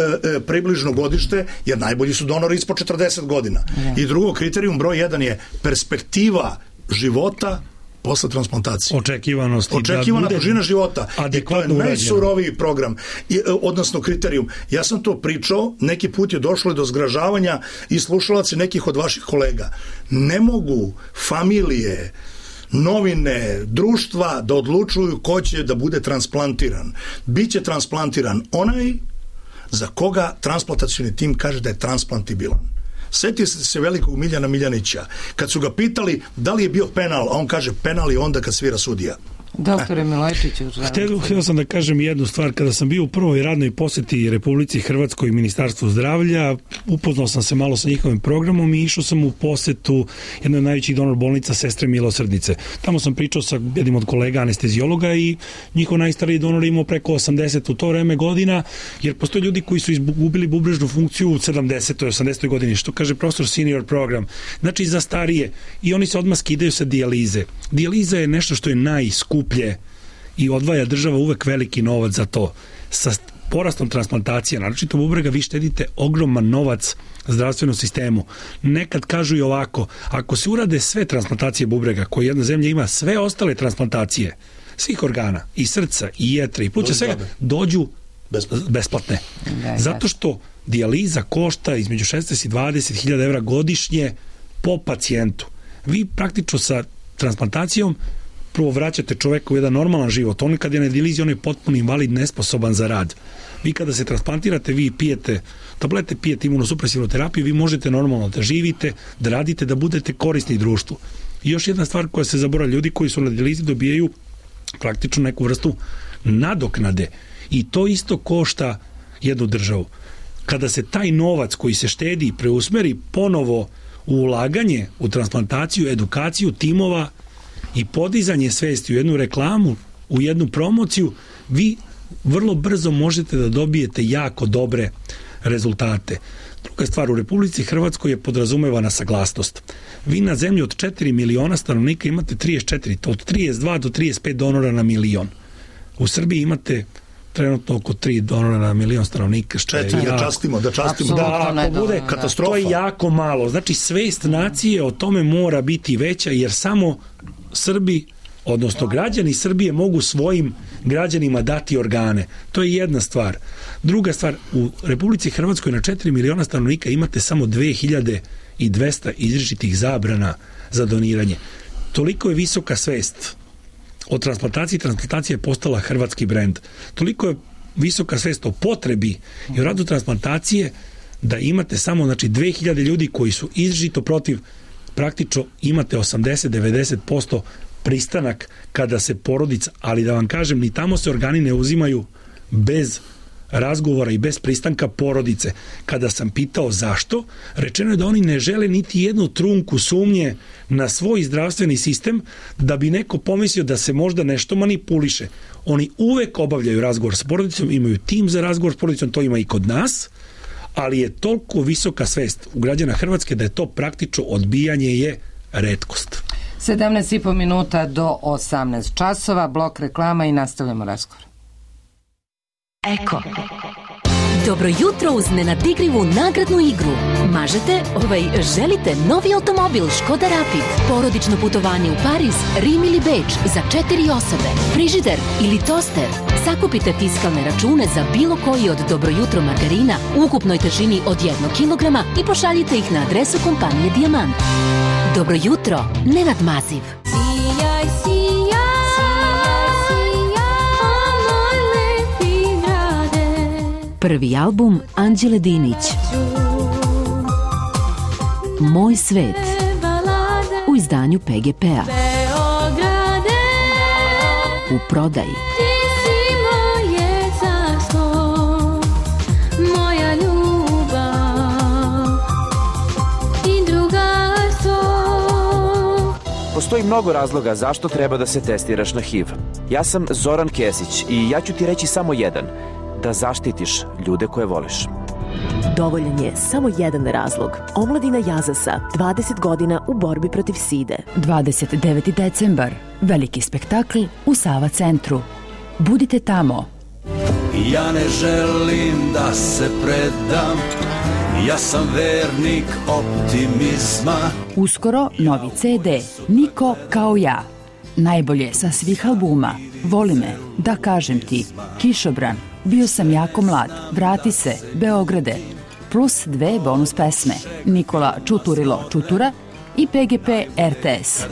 približno godište, jer najbolji su donori ispod 40 godina. I drugo, kriterijum broj 1 je perspektiva života posle transplantacije. Očekivana dužina života. I to je najsuroviji program, odnosno kriterijum. Ja sam to pričao, neki put je došlo do zgražavanja i slušalaca nekih od vaših kolega. Ne mogu familije, novine, društva da odlučuju ko će da bude transplantiran. Biće transplantiran onaj za koga transplantacioni tim kaže da je transplantibilan. Sjetite se velikog Miljana Miljanića. Kad su ga pitali da li je bio penal, a on kaže penal je onda kad svira sudija. Doktore Milojčiću, htio sam da kažem jednu stvar. Kada sam bio u prvoj radnoj poseti Republici Hrvatskoj i Ministarstvu zdravlja, upoznao sam se malo sa njihovim programom i išao sam u posetu jednoj od najvećih donor bolnica Sestre milosrdnice. Tamo sam pričao sa jednim od kolega anestezijologa i njihov najstariji donor imao preko 80 u to vreme godina, jer postoje ljudi koji su izgubili bubrežnu funkciju u 70. i 80. godini, što kaže profesor senior program. Znači za starije. I oni se odmah skidaju sa dijalize. Dijaliza je nešto što je najskuplje i odvaja država uvek veliki novac za to. Sa porastom transplantacija, naročito bubrega, vi štedite ogroman novac zdravstvenom sistemu. Nekad kažu i ovako, ako se urade sve transplantacije bubrega, koje jedna zemlja ima, sve ostale transplantacije svih organa, i srca, i jetre, i pluća, svega, dođu besplatne. Zato što dijaliza košta između 16 i 20.000 evra godišnje po pacijentu. Vi praktično sa transplantacijom prvo vraćate čoveka u jedan normalan život. On kad je na dijalizi, on je potpuno invalid, nesposoban za rad. Vi kada se transplantirate, vi pijete tablete, pijete imunosupresivnu terapiju, vi možete normalno da živite, da radite, da budete korisni društvu. I još jedna stvar koja se zaboravlja, ljudi koji su na dijalizi dobijaju praktično neku vrstu nadoknade. I to isto košta jednu državu. Kada se taj novac koji se štedi preusmeri ponovo u ulaganje, u transplantaciju, edukaciju timova i podizanje svesti u jednu reklamu, u jednu promociju, vi vrlo brzo možete da dobijete jako dobre rezultate. Druga stvar, u Republici Hrvatskoj je podrazumevana saglasnost. Vi na zemlji od 4 miliona stanovnika imate 34, od 32 do 35 donora na milion. U Srbiji imate trenutno oko 3 donora na milion stanovnika, što je da častimo. Da, ako bude katastrofa. To je jako malo. Znači, svest nacije o tome mora biti veća, jer samo Srbi, odnosno građani Srbije, mogu svojim građanima dati organe. To je jedna stvar. Druga stvar, u Republici Hrvatskoj na 4 miliona stanovnika imate samo 2200 izričitih zabrana za doniranje. Toliko je visoka svest o transplantaciji. Transplantacija je postala hrvatski brend. Toliko je visoka svest o potrebi i o radu transplantacije da imate samo 2000 ljudi koji su izričito protiv. Praktično imate 80-90% pristanak kada se porodica, ali da vam kažem, ni tamo se organi ne uzimaju bez razgovora i bez pristanka porodice. Kada sam pitao zašto, rečeno je da oni ne žele niti jednu trunku sumnje na svoj zdravstveni sistem da bi neko pomislio da se možda nešto manipuliše. Oni uvek obavljaju razgovor s porodicom, imaju tim za razgovor s porodicom, to ima i kod nas, ali je toliko visoka svest u građana Hrvatske da je to praktično odbijanje je retkost. 17,5 minuta do 18 časova, blok reklama i nastavljamo razgovor. Eko. Dobro jutro uz nenadigrivu nagradnu igru. Želite novi automobil Škoda Rapid, porodično putovanje u Pariz, Rim ili Beč za 4 osobe, frižider ili toster. Sakupite fiskalne račune za bilo koji od Dobro jutro margarina u ukupnoj težini od 1 kilograma i pošaljite ih na adresu kompanije Dijamant. Dobro jutro, Nenad Maziv. Prvi album Anđele Dinić. Moj svet. U izdanju PGP-a. U prodaji. Postoji mnogo razloga zašto treba da se testiraš na HIV. Ja sam Zoran Kesić i ja ću ti reći samo jedan. Da zaštitiš ljude koje voliš. Dovoljan je samo jedan razlog. Omladina Jazasa, 20 godina u borbi protiv side. 29. decembar. Veliki spektakl u Sava centru. Budite tamo. Ja ne želim da se predam. Ja sam vernik optimizma. Uskoro novi CD. Niko kao ja. Najbolje sa svih albuma. Voli me, da kažem ti, Kišobran, Bio sam jako mlad, Vrati se, Beograde, plus 2 bonus pesme, Nikola Čuturilo Čutura i PGP RTS.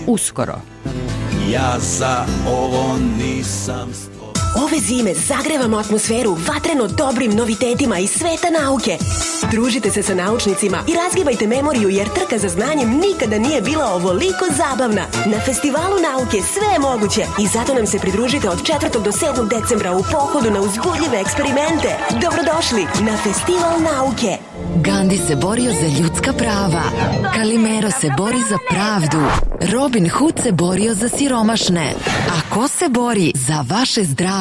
Uskoro. Ja za ovo nisam... Ove zime zagrevamo atmosferu vatreno dobrim novitetima iz sveta nauke. Družite se sa naučnicima i razgibajte memoriju jer trka za znanjem nikada nije bila ovoliko zabavna. Na Festivalu nauke sve je moguće i zato nam se pridružite od 4. do 7. decembra u pohodu na uzbudljive eksperimente. Dobrodošli na Festival nauke. Gandhi se borio za ljudska prava. Kalimero se bori za pravdu. Robin Hood se borio za siromašne. A ko se bori za vaše zdravlje?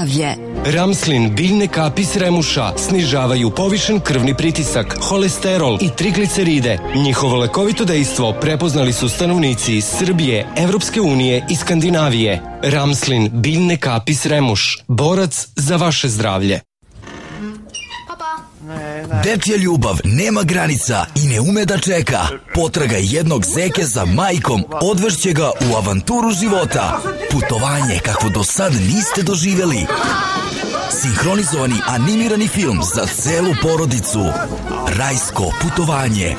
Ramslin biljne kapi s remuša snižavaju povišen krvni pritisak, holesterol i trigliceride. Njihovo lekovito dejstvo prepoznali su stanovnici iz Srbije, Evropske unije i Skandinavije. Ramslin biljne kapi s remuš. Borac za vaše zdravlje. Dečja ljubav nema granica i ne ume da čeka. Potraga jednog zeke za majkom odvešće ga u avanturu života. Putovanje kakvo do sad niste doživjeli. Sinhronizovani animirani film za celu porodicu. Rajsko putovanje.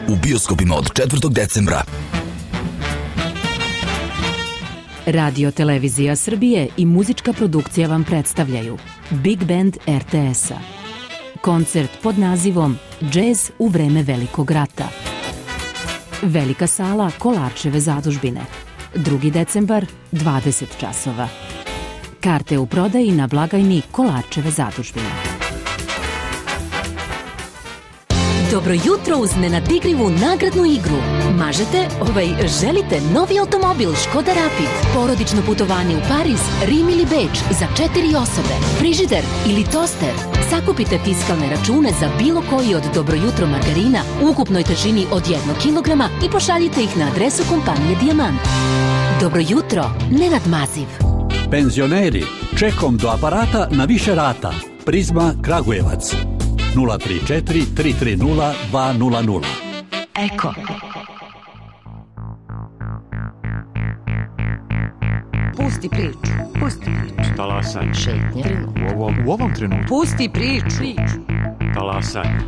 U bioskopima od 4. decembra. Radio Televizija Srbije i muzička produkcija vam predstavljaju Big Band RTS-a. Koncert pod nazivom Džez u vreme Velikog rata. Velika sala Kolarčeve zadužbine. 2. decembar, 20 časova. Karte u prodaji na blagajni Kolarčeve zadužbine. Dobro jutro uz nenadigrivu nagradnu igru. Želite novi automobil Škoda Rapid, porodično putovanje u Pariz, Rim ili Beč za 4 osobe, frižider ili toster. Sakupite fiskalne račune za bilo koji od Dobro jutro margarina u ukupnoj težini od 1 kilograma i pošaljite ih na adresu kompanije Dijamant. Dobro jutro, Nenad Maziv. Penzioneri, čekom do aparata na više rata. Prizma Kragujevac. 034 330 200. Eko. Pusti priču. Talasanje. Šetnje. U ovom trenutku. Pusti priču. Talasanje.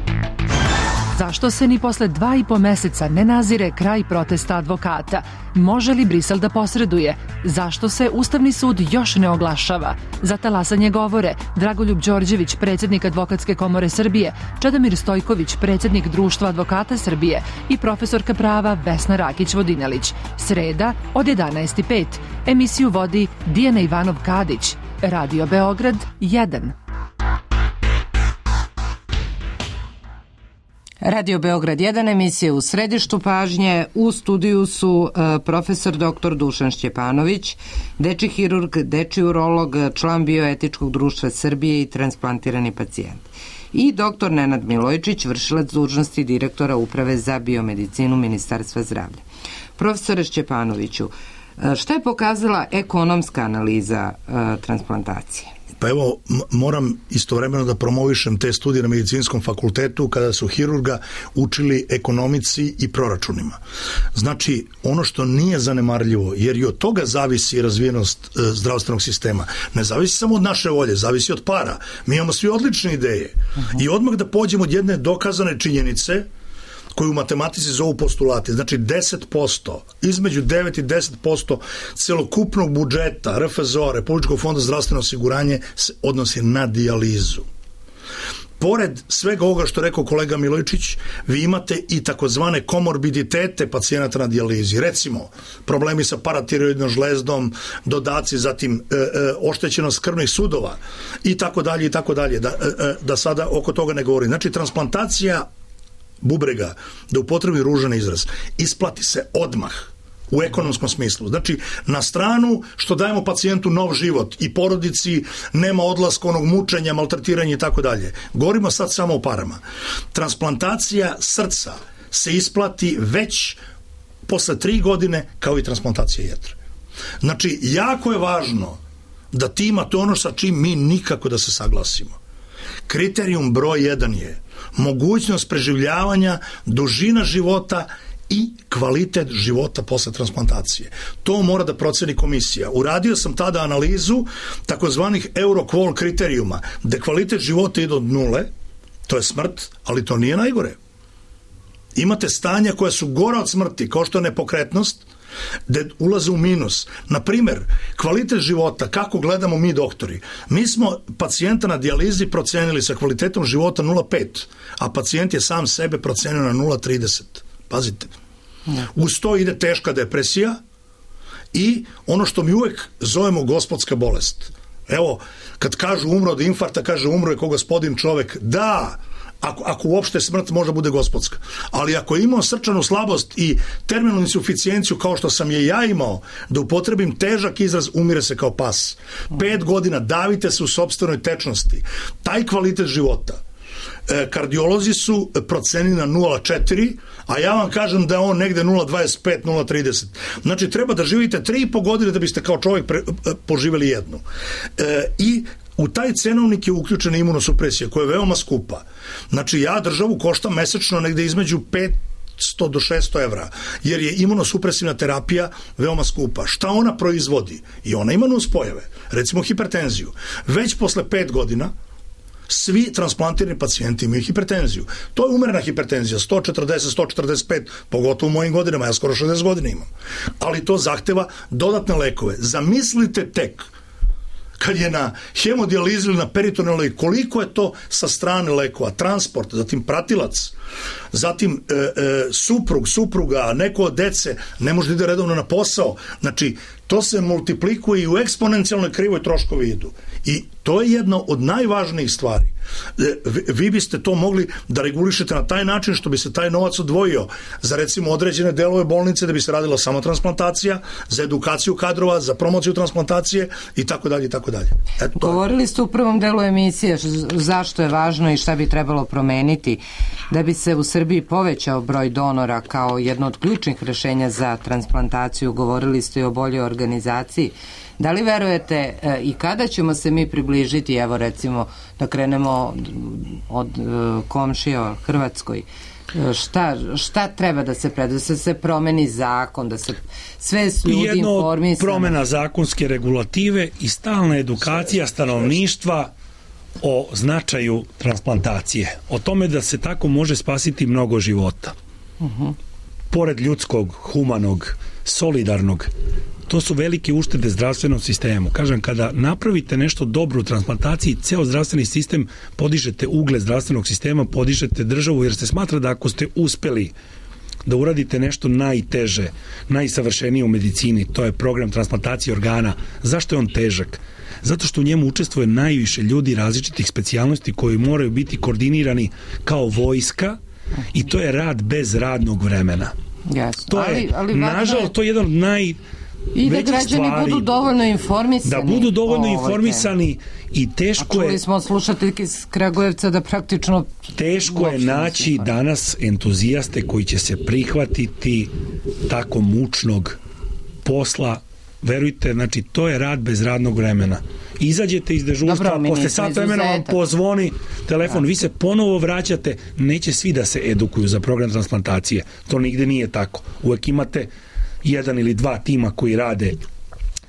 Zašto se ni posle 2,5 meseca ne nazire kraj protesta advokata? Može li Brisel da posreduje? Zašto se Ustavni sud još ne oglašava? Za talasanje govore Dragoljub Đorđević, predsjednik Advokatske komore Srbije, Čedomir Stojković, predsjednik Društva advokata Srbije i profesorka prava Vesna Rakić-Vodinelić. Sreda od 11:05. Emisiju vodi Dijana Ivanov-Kadić. Radio Beograd 1. Radio Beograd 1, emisija u središtu pažnje. U studiju su profesor dr. Dušan Šćepanović, dečji hirurg, dečji urolog, član Bioetičkog društva Srbije i transplantirani pacijent. I dr. Nenad Milojčić, vršilac dužnosti direktora Uprave za biomedicinu Ministarstva zdravlja. Profesore Šćepanoviću, šta je pokazala ekonomska analiza transplantacije? Pa evo, moram istovremeno da promovišem te studije na medicinskom fakultetu kada su hirurga učili ekonomici i proračunima. Znači, ono što nije zanemarljivo, jer i od toga zavisi razvijenost zdravstvenog sistema. Ne zavisi samo od naše volje, zavisi od para. Mi imamo svi odlične ideje. I odmah da pođemo od jedne dokazane činjenice koju u matematici zovu postulati, znači 10%, između 9 i 10% celokupnog budžeta RFZO, Republičkog fonda zdravstveno osiguranje, se odnosi na dijalizu. Pored svega ovoga što rekao kolega Milojčić, vi imate i takozvane komorbiditete pacijenata na dijalizi. Recimo, problemi sa paratiroidnom žlezdom, dodaci, zatim oštećenost krvnih sudova i tako dalje, da sada oko toga ne govorim. Znači, transplantacija bubrega, da upotrebim ružan izraz, isplati se odmah u ekonomskom smislu. Znači, na stranu što dajemo pacijentu nov život i porodici nema odlaska onog mučenja, maltretiranja i tako dalje. Govorimo sad samo o parama. Transplantacija srca se isplati već posle 3 godine kao i transplantacija jetre. Znači, jako je važno da ti imate ono sa čim mi nikako da se saglasimo. Kriterijum broj 1 je mogućnost preživljavanja, dužina života i kvalitet života posle transplantacije. To mora da proceni komisija. Uradio sam tada analizu takozvanih Euroqual kriterijuma, gde kvalitet života ide od 0, to je smrt, ali to nije najgore. Imate stanja koja su gora od smrti, kao što je nepokretnost, gde ulaze u minus. Naprimer, kvalitet života, kako gledamo mi doktori. Mi smo pacijenta na dijalizi procenili sa kvalitetom života 0,5, a pacijent je sam sebe procenio na 0,30. Pazite. Uz to ide teška depresija i ono što mi uvek zovemo gospodska bolest. Evo, kad kažu umro od infarkta, kaže umro je ko gospodin čovek. Da, ako uopšte smrt može bude gospodska. Ali ako je imao srčanu slabost i terminalnu insuficijenciju kao što sam je ja imao, da upotrebim težak izraz, umire se kao pas. 5 godina davite se u sopstvenoj tečnosti. Taj kvalitet života kardiolozi su procenili na 0,4, a ja vam kažem da je on negde 0,25, 0,30. Znači, treba da živite 3,5 godine da biste kao čovjek poživjeli jednu. I u taj cenovnik je uključena imunosupresija koja je veoma skupa. Znači, ja državu koštam mesečno negde između 500 do 600 evra, jer je imunosupresivna terapija veoma skupa. Šta ona proizvodi? I ona ima nuspojave. Recimo hipertenziju. Već posle 5 godina Svi transplantirani pacijenti imaju hipertenziju. To je umerena hipertenzija, 140, 145, pogotovo u mojim godinama, ja skoro 60 godina imam. Ali to zahteva dodatne lekove. Zamislite tek kad je na hemodijalizi ili na peritonealnoj, koliko je to sa strane lekova, transport, zatim pratilac, zatim suprug, supruga, neko od dece ne može da ide redovno na posao. Znači, to se multiplikuje i u eksponencijalnoj krivoj troškovi idu. I to je jedna od najvažnijih stvari. Vi biste to mogli da regulišete na taj način što bi se taj novac odvojio za recimo određene delove bolnice da bi se radila samo transplantacija, za edukaciju kadrova, za promociju transplantacije i tako dalje i tako dalje. Govorili ste u prvom delu emisije zašto je važno i šta bi trebalo promeniti da bi se u Srbiji povećao broj donora kao jedno od ključnih rešenja za transplantaciju. Govorili ste i o boljoj organizaciji. Da li verujete i kada ćemo se mi približiti, evo recimo da krenemo od komšija Hrvatskoj, šta treba da se da se promeni zakon, da se sve ljudi informisano? Jedno promena zakonske regulative i stalna edukacija stanovništva o značaju transplantacije, o tome da se tako može spasiti mnogo života. Pored ljudskog, humanog, solidarnog, to su velike uštede zdravstvenom sistemu. Kažem, kada napravite nešto dobro u transplantaciji, ceo zdravstveni sistem, podižete ugled zdravstvenog sistema, podižete državu, jer se smatra da ako ste uspeli da uradite nešto najteže, najsavršenije u medicini, to je program transplantacije organa. Zašto je on težak? Zato što u njemu učestvuje najviše ljudi različitih specijalnosti koji moraju biti koordinirani kao vojska i to je rad bez radnog vremena. Jasno. To je, nažalost, to je jedan od i da građani budu dovoljno informisani. Da budu dovoljno informisani i teško je... Čuli smo od slušateljke iz Kragujevca da praktično... Teško je naći danas entuzijaste koji će se prihvatiti tako mučnog posla. Verujte, znači to je rad bez radnog vremena. Izađete iz dežurstva, posle sat vremena vam pozvoni telefon, vi se ponovo vraćate, neće svi da se edukuju za program transplantacije. To nigde nije tako. Uvek imate jedan ili dva tima koji rade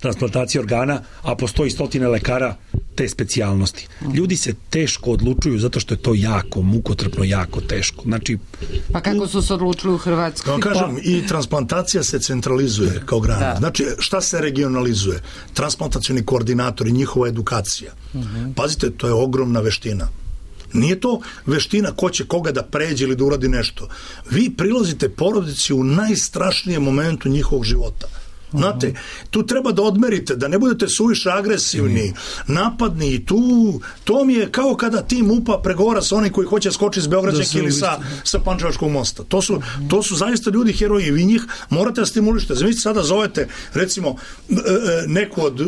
transplantacije organa, a postoji stotine lekara te specijalnosti. Ljudi se teško odlučuju zato što je to jako, mukotrpno, jako teško. Znači, pa kako su se odlučili u Hrvatskoj? Kao kažem, i transplantacija se centralizuje kao grana. Znači, šta se regionalizuje? Transplantacioni koordinatori, njihova edukacija. Pazite, to je ogromna veština. Nije to veština ko će koga da pređe ili da uradi nešto. Vi prilazite porodici u najstrašnijem momentu njihovog života. Znate, tu treba da odmerite, da ne budete suviše agresivni, napadni i to mi je kao kada tim MUP-a pregovara sa onim koji hoće skočiti s Beograđanke ili sa Pančevačkog mosta. To su zaista ljudi heroji i vi njih morate da stimulišete. Zamislite, sada zovete recimo neku od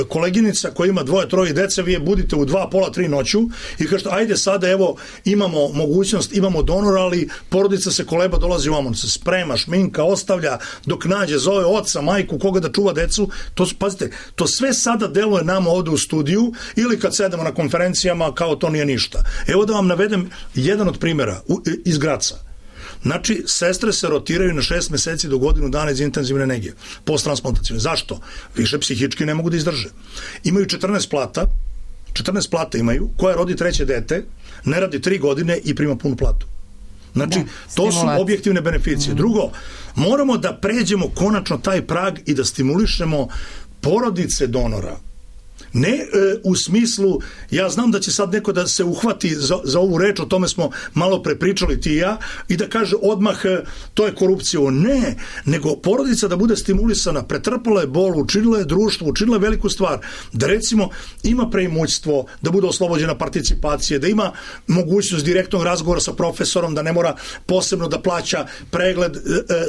koleginica koja ima 2-3 dece, vi je budite u 2, pola 3 noću i kažete, ajde sada evo imamo mogućnost, imamo donora, ali porodica se koleba, dolazi u amon, se sprema, šminka, ostavlja dok nađe, zove oca, majku, koga da čuva decu, pazite, to sve sada deluje nama ovde u studiju ili kad sedemo na konferencijama kao to nije ništa. Evo da vam navedem jedan od primjera iz Graca. Znači, sestre se rotiraju na 6 meseci do godinu dana iz intenzivne nege, posttransplantacijne. Zašto? Više psihički ne mogu da izdrže. Imaju 14 plata imaju, koja rodi 3. dete, ne radi 3 godine i prima punu platu. Znači, to su objektivne beneficije. Drugo, moramo da pređemo konačno taj prag i da stimulišemo porodice donora. Ne u smislu, ja znam da će sad neko da se uhvati za ovu reč, o tome smo malo prepričali ti i ja, i da kaže odmah to je korupcija. Ne, nego porodica da bude stimulisana, pretrpala je bol, učinila je društvo, učinila je veliku stvar, da recimo ima preimućstvo, da bude oslobođena participacije, da ima mogućnost direktnog razgovora sa profesorom, da ne mora posebno da plaća pregled,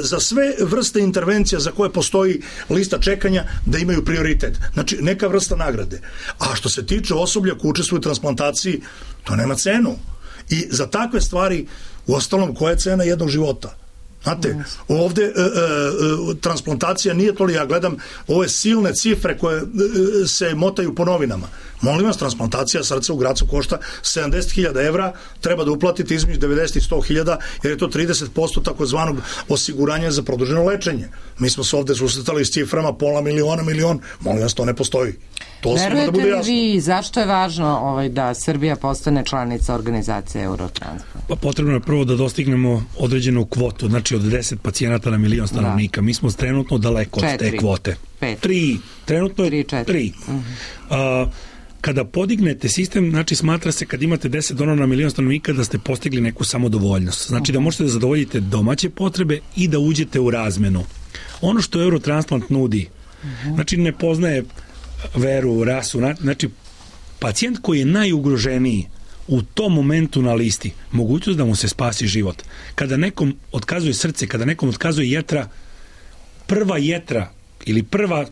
za sve vrste intervencija za koje postoji lista čekanja, da imaju prioritet. Znači, neka vrsta nagrade. A što se tiče osoblja koji učestvuju u transplantaciji, to nema cenu. I za takve stvari, u ostalom, koja je cena jednog života? Znate, ovde transplantacija nije to li, ja gledam ove silne cifre koje se motaju po novinama. Molim vas, transplantacija srca u Gracu košta 70.000 evra, treba da uplatite između 90 i 100.000, jer je to 30% takozvanog osiguranja za produženo lečenje. Mi smo se ovde susretali s ciframa pola miliona, molim vas, to ne postoji. To svima da bude jasno. Verujete li vi zašto je važno da Srbija postane članica organizacije Eurotransplant? Pa potrebno je prvo da dostignemo određenu kvotu, znači od 10 pacijenata na milion stanovnika. Mi smo trenutno daleko od te kvote. 3, trenutno je 3. Kada podignete sistem, znači smatra se kad imate 10 donora na milion stanovnika da ste postigli neku samodovoljnost. Znači da možete da zadovoljite domaće potrebe i da uđete u razmenu. Ono što Eurotransplant nudi, znači ne poznaje veru, rasu, znači pacijent koji je najugroženiji u tom momentu na listi, mogućnost da mu se spasi život. Kada nekom otkazuje srce, kada nekom otkazuje jetra, prva jetra ili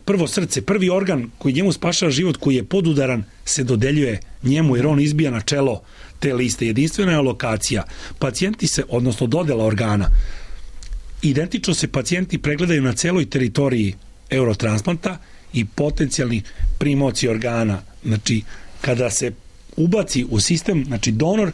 prvo srce, prvi organ koji njemu spašava život, koji je podudaran, se dodeljuje njemu jer on izbija na čelo te liste. Jedinstvena je alokacija. Pacijenti se, odnosno dodela organa, identično se pacijenti pregledaju na celoj teritoriji Eurotransplanta i potencijalni primoci organa. Znači, kada se ubaci u sistem, znači donor,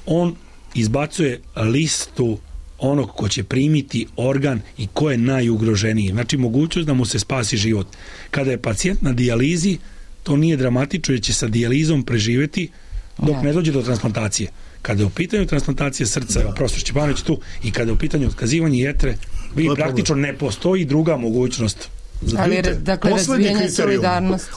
on izbacuje listu onog ko će primiti organ i ko je najugroženiji. Znači, mogućnost da mu se spasi život. Kada je pacijent na dijalizi, to nije dramatično jer će sa dijalizom preživeti dok ne dođe do transplantacije. Kada je u pitanju transplantacije srca, profesor Šćepanović tu, i kada je u pitanju otkazivanje jetre, vi praktično ne postoji druga mogućnost. Ali, dakle, razvijanje solidarnosti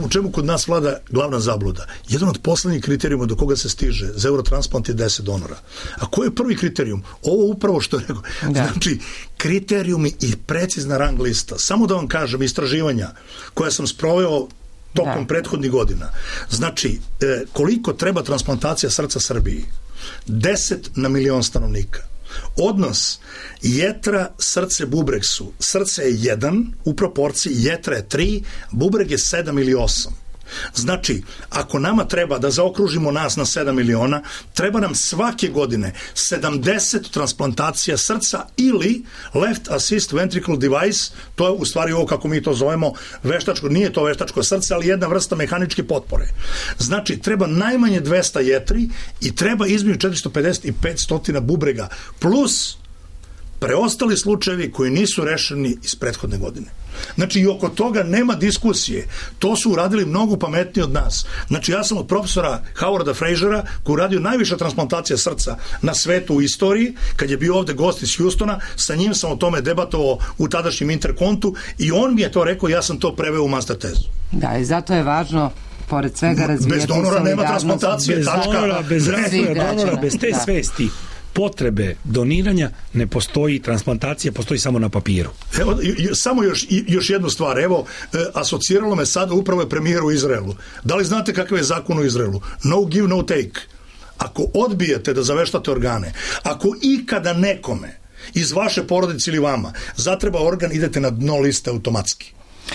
u čemu kod nas vlada glavna zabluda? Jedan od poslednjih kriterijuma do koga se stiže za Eurotransplant je 10 donora. A koji je prvi kriterijum? Ovo upravo što je rekao. Znači, kriterijumi i precizna rang lista. Samo da vam kažem, istraživanja koja sam sproveo tokom prethodnih godina. Znači, koliko treba transplantacija srca Srbiji? 10 na milion stanovnika. Odnos jetra, srce, bubreg su. Srce je 1 u proporciji, jetra je 3, bubreg je 7 ili 8. Znači, ako nama treba da zaokružimo nas na 7 miliona, treba nam svake godine 70 transplantacija srca ili left assist ventricle device, to je u stvari ovo kako mi to zovemo veštačko, nije to veštačko srce, ali jedna vrsta mehaničke potpore. Znači, treba najmanje 200 jetri i treba između 450 i 500 bubrega, plus preostali slučajevi koji nisu rešeni iz prethodne godine. Znači, i oko toga nema diskusije. To su uradili mnogo pametniji od nas. Znači, ja sam od profesora Howarda Frasera, koji uradio najviša transplantacija srca na svetu u istoriji, kad je bio ovde gost iz Houstona, sa njim sam o tome debatovao u tadašnjem Interkontu i on mi je to rekao, ja sam to preveo u master tezu. Da, i zato je važno pored svega razvijati solidarnost. Bez donora nema transplantacije. Bez donora, bez razvoja donora, bez te svesti potrebe doniranja ne postoji, transplantacija postoji samo na papiru. Evo, samo još jednu stvar. Evo, asociralo me sada upravo je premijer u Izraelu. Da li znate kakav je zakon u Izraelu? No give, no take. Ako odbijete da zaveštate organe, ako ikada nekome iz vaše porodice ili vama zatreba organ, idete na dno liste automatski.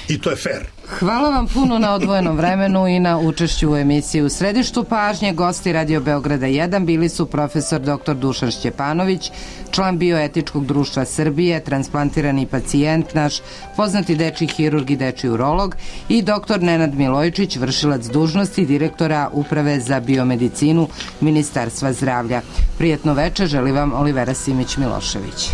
I to je fair. Hvala vam puno na odvojenom vremenu i na učešću u emisiji. U središtu pažnje gosti Radio Beograda 1 bili su profesor dr. Dušan Šćepanović, član Bioetičkog društva Srbije, transplantirani pacijent naš, poznati dečiji hirurg i dečiji urolog, i dr. Nenad Milojičić, vršilac dužnosti direktora Uprave za biomedicinu Ministarstva zdravlja. Prijetno veče želi vam Olivera Simić Milošević.